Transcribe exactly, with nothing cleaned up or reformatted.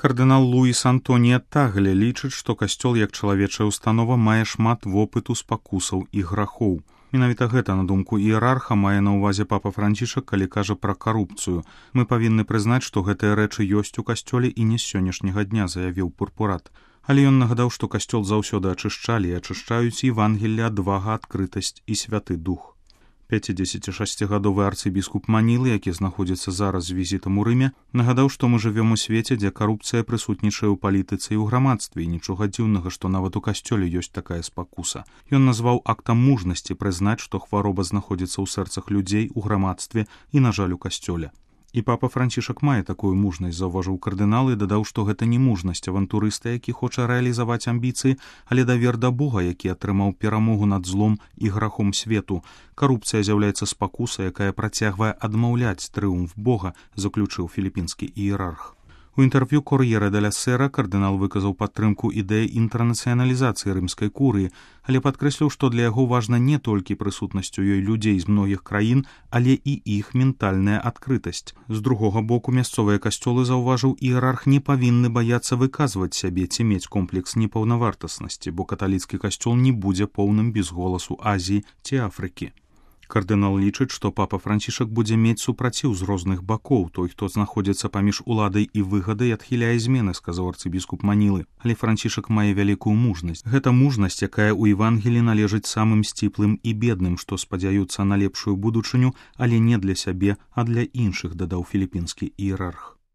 Кардынал Луіс Антонія Тагле лічыць, што касцёл як чалавечая установа мае шмат вопыту спакусаў і грахоў. Менавіта гэта, на думку іерарха, мае на ўвазе папа Францішак, калі кажа пра карупцыю. Мы павінны прызнаць, што гэтыя рэчы ёсць у касцёле і не з сённяшняга дня, заявіў Пурпурат. Але ён нагадаў, што касцёл заўсёды ачышчалі і ачышчаюць Евангелле, адвага, адкрытасць і святы дух. пяцідзесяцішасцігадовы арцыбіскуп Манілы, які знаходзіцца зараз з візітам у Рыме, нагадаў, што мы жывём у свеце, дзе карупцыя прысутнічае ў палітыцы і ў грамадстве, і нічога дзіўнага, што нават у касцёле ёсць такая спакуса. Ён назваў актам мужнасці прызнаць, што хвароба знаходзіцца ў сэрцах людзей, у грамадстве і, на жаль, у касцёле. І папа Францішак мае такую мужнасць, заўважыў кардынал і дадаў, што гэта не мужнасць авантурыста, які хоча рэалізаваць амбіцыі, але давер да Бога, які атрымаў перамогу над злом і грахом свету. Карупцыя з'яўляецца спакусай, якая працягвае адмаўляць трыумф Бога, заключыў філіпінскі іерарх. У інтэрв'ю «Кор'єре де ля Сера» кардынал выказаў падтрымку ідэі інтэрнацыяналізацыі рымскай курыі, але падкрэсліў, што для яго важна не толькі прысутнасць у ёй людзей з многіх краін, але і іх ментальная адкрытасць. З другога боку, мясцовыя касцёлы, заўважыў іерарх, не павінны баяцца выказваць сябе ці мець комплекс непаўнавартаснасці, бо каталіцкі касцёл не будзе поўным без голасу Азіі ці Афрыкі. Кардынал лічыць, што папа Францішак будзе мець супраціў з розных бакоў. Той, хто знаходзіцца паміж уладай і выгадай, адхіляе змены, сказаў арцыбіскуп Манілы. Але Францішак мае вялікую мужнасць. Гэта мужнасць, якая ў Евангелі належыць самым сціплым і бедным, што спадзяюцца на лепшую будучыню, але не для сябе, а для іншых, дадаў філіпінскі іерарх.